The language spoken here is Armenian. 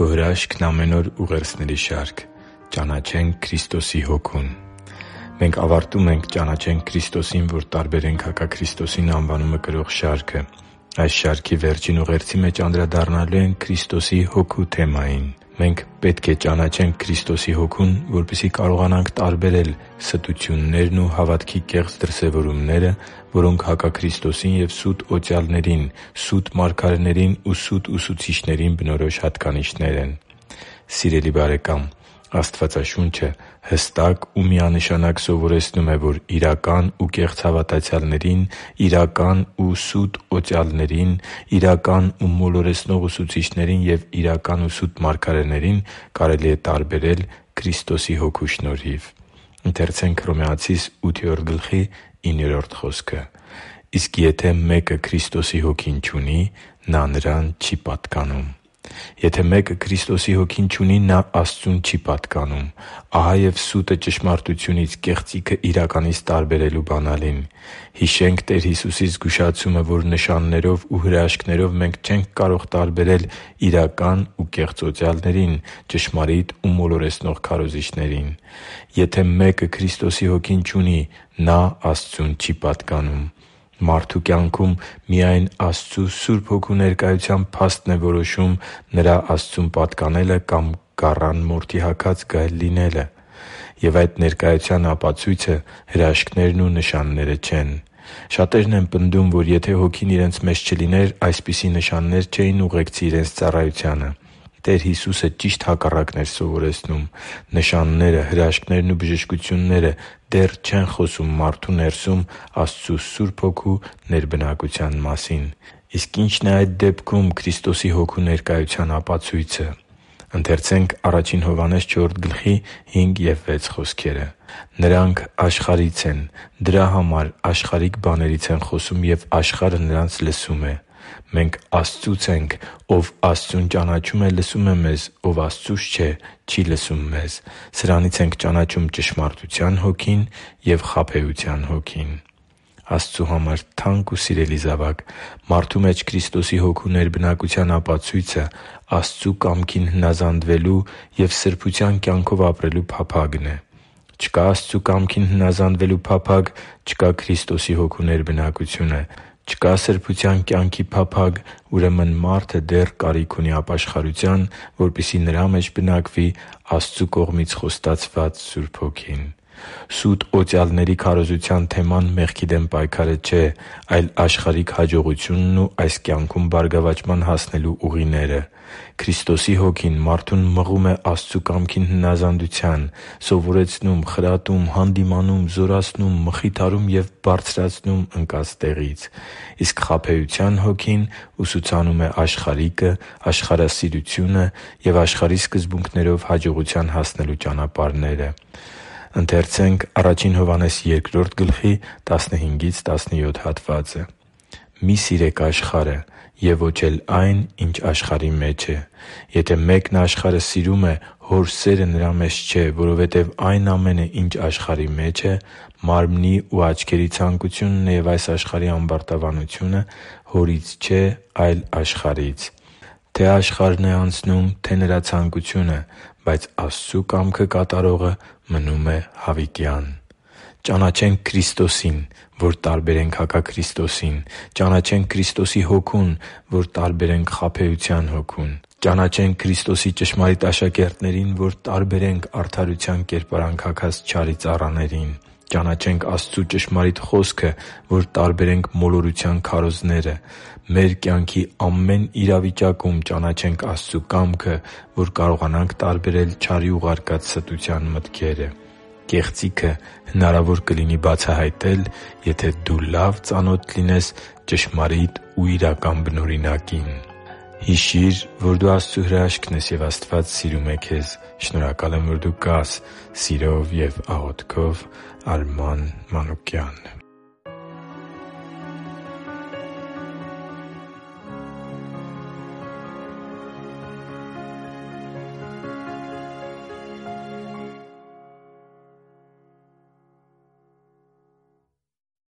Քո հրաշքն ամեն օր ուղերձների շարք։ Ճանաչենք Քրիստոսի հոգուն։ Մենք ավարտում ենք «Ճանաչենք Քրիստոսին, որ տարբերենք հակաքրիստոսին» անվանումը կրող շարքը։ Այս շարքի վերջին ուղերձի մեջ անդրադառնալու ենք Քրիստոսի հոգու թեմային։ Մենք պետք է ճանաչենք Քրիստոսի հոգուն, որպեսզի կարողանանք տարբերել ստություններն ու հավատքի կեղծ դրսևորումները, որոնք հակաքրիստոսին և սուտ օծյալներին, սուտ մարգարեներին ու սուտ ուսուցիչներին բնորոշ հատկանիշներ են։ Սիրելի՛ բարեկամ, Աստվածաշունչը հստակ ու միանշանակ սովորեցնում է, որ իրական ու կեղծ հավատացյալներին, իրական ու սուտ օծյալներին, իրական ու մոլորեցնող ուսուցիչներին և իրական ու սուտ մարգարեներին կարելի է տարբերել Քրիստոսի Հոգու շնորհիվ։ «Իսկ եթե մեկը Քրիստոսի Հոգին չունի, նա նրան չի պատկանում» (Հռոմեացիս 8:9)։ Եթե մեկը Քրիստոսի Հոգին չունի, նա Աստծուն չի պատկանում։ Ահա և սուտը ճշմարտությունից, կեղծիքը իրականից տարբերելու բանալին։ Հիշենք Տեր Հիսուսի զգուշացումը, որ նշաններով ու հրաշքներով մենք չենք կարող տարբերել իրական ու կեղծ օծյալներին, ճշմարիտ ու մոլորեցնող քարոզիչներին։ Եթե մեկը Քրիստոսի Հոգին չունի, նա Աստծուն չի պատկանում։ Մարդու կյանքում միայն Աստծու Սուրբ Հոգու ներկայության փաստն է որոշում նրա Աստծուն պատկանելը կամ գառան մորթի հագած գայլ լինելը։ Եվ այդ ներկայության ապացույցը հրաշքներն ու նշանները չեն։ Շատերն են պնդում, որ եթե Հոգին իրենց մեջ չլիներ, այսպիսի նշաններ չէին ուղեկցի իրենց ծառայությանը։ Տեր Հիսուսը ճիշտ հակառակն էր սովորեցնում։ Նշանները, հրաշքներն ու բժշկությունները դեռ չեն խոսում մարդու ներսում Աստծու Սուրբ Հոգու ներբնակության մասին։ Իսկ ի՞նչն է այդ դեպքում Քրիստոսի Հոգու ներկայության ապացույցը։ «Նրանք աշխարհից են, դրա համար աշխարհիկ բաներից են խոսում, և աշխարհը նրանց լսում է։ Մենք Աստծուց ենք. ով Աստծուն ճանաչում է, լսում է մեզ, ով Աստծուց չէ, չի լսում մեզ։ Սրանից ենք ճանաչում ճշմարտության Հոգին և խաբեության հոգին» (Ա Հովհաննես 4․5-6)։ Աստծու համար թանկ ու սիրելի՛ զավակ, մարդու մեջ Քրիստոսի Հոգու ներբնակության ապացույցը Աստծու կամքին հնազանդվելու և սրբության կյանքով ապրելու փափագն է։ Չկա Աստծու կամքին հնազանդվելու փափագ, չկա Քրիստոսի Հոգու ներբնակությունը։ Չկա սրբության կյանքի փափագ, ուրեմն մարդը դեռ կարիք ունի ապաշխարության, որպեսզի նրա մեջ բնակվի Աստծու կողմից խոստացված Սուրբ Հոգին։ Սուտ օծյալների քարոզության թեման մեղքի դեմ պայքարը չէ, այլ աշխարհիկ հաջողությունն ու այս կյանքում բարգավաճման հասնելու ուղիները։ Քրիստոսի Հոգին մարդուն մղում է Աստծու կամքին հնազանդության, սովորեցնում, խրատում, հանդիմանում, զորացնում, մխիթարում և բարձրացնում ընկած տեղից։ Իսկ խաբեության հոգին ուսուցանում է աշխարհիկը, աշխարհասիրությունը և աշխարհի սկզբունքներով հաջողության հասնելու ճանապարհները։ «Մի՛ սիրեք աշխարհը և ոչ էլ այն, ինչ աշխարհի մեջ է։ Եթե մեկն աշխարհը սիրում է, Հոր սերը նրա մեջ չէ, որովհետև այն ամենը, ինչ աշխարհի մեջ է՝ մարմնի ու աչքերի ցանկությունն և այս աշխարհի ամբարտավանությունը, Հորից չէ, այլ աշխարհից։ Թե՛ աշխարհն է անցնում, թե՛ նրա ցանկությունը, բայց Աստծու կամքը կատարողը մնում է հավիտյան» (Ա Հովհաննես 2:17-18)։ Ճանաչենք Քրիստոսին, որ տարբերենք հակաքրիստոսին։ Ճանաչենք Քրիստոսի Հոգուն, որ տարբերենք խաբեության հոգուն։ Ճանաչենք Քրիստոսի ճշմարիտ աշակերտներին, որ տարբերենք արդարության կերպարանք հագած չարի ծառաներին։ Ճանաչենք Աստծու ճշմարիտ Խոսքը, որ տարբերենք մոլորության քարոզները։ Մեր կյանքի ամեն իրավիճակում ճանաչենք Աստծու կամքը, որ կարողանանք տարբերել չարի ուղարկած ստության մտքերը։ Կեղծիքը հնարավոր կլինի բացահայտել, եթե դու լավ ծանոթ լինես ճշմարիտ ու իրական բնօրինակին։ Հիշի՛ր, որ դու Աստծո հրաշքն ես, և Աստված սիրում է քեզ։ Շնորհակալ եմ, որ դու կա՛ս։ Սիրով և աղոթքով, Արման Մանուկյան։